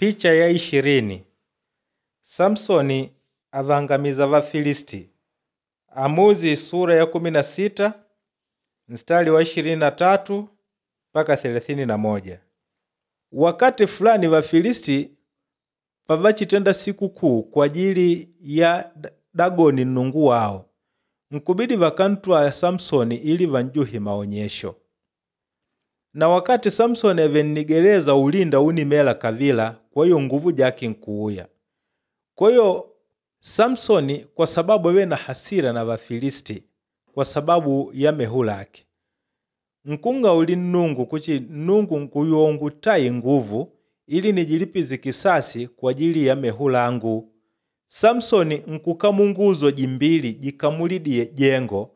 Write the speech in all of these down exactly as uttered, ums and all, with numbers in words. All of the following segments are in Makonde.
Picha ya ishirini Samsoni avangamiza Vafilisti. Amuzi sura ya kumi na sita mstari wa ishirini na tatu mpaka thelathini na moja. Wakati fulani Vafilisti pavachitenda sikukuu kwa ajili ya Dagoni nnungu wawo, nkubidi vakantwaa Samsoni ili vanjuhe maonyesho. Na wakati Samsoni avenigereza ulinda unimela kavila, kwa hiyo nguvu jake nkuuya. Kwa hiyo Samsoni kwa sababu awe na hasira na Vafilisti kwa sababu ya mehu lake nkung'auli Nnungu kuchi Nnungu nkuyongu tayi nguvu ili nijilipize kisasi kwa ajili ya mehu langu. Samsoni nkukamunguzo jimbili jikamulidie jengo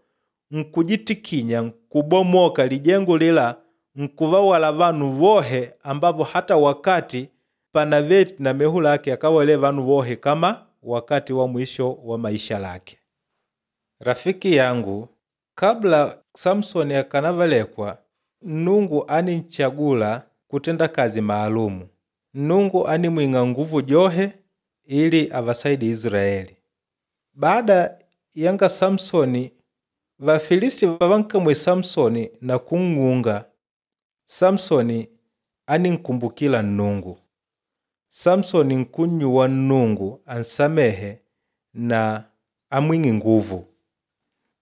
nkujitikinya nkubomoka lijengo lila nkuvawala vanu vohe ambavo hata wakati panaveti na mehu lake akawale vanu vohe kama wakati wa mwisho wa maisha lake. Rafiki yangu, kabla Samsoni akanavalekwa, Nnungu aninchagula kutenda kazi maalumu. Nnungu animwing'a nguvu johe ili avasaidi Israeli. Baada yanga Samsoni, Vafilisti vavankamwe Samsoni na kung'unga, Samsoni aninkumbukila Nnungu. Samsoni nkunnyuwa Nnungu ansamehe na amwing'e nguvu.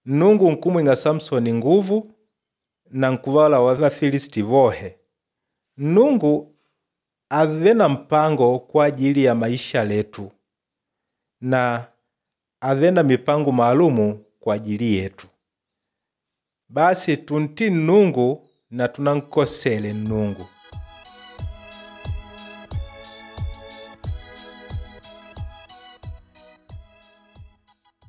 Nnungu nkumwing'a Samsoni nguvu na nkuvala wa Vafilisti vohe. Nnungu ave na mpango kwa ajili ya maisha letu na ave na mipango maalumu kwa ajili yetu. Basi tunti Nnungu na tunankosele Nnungu.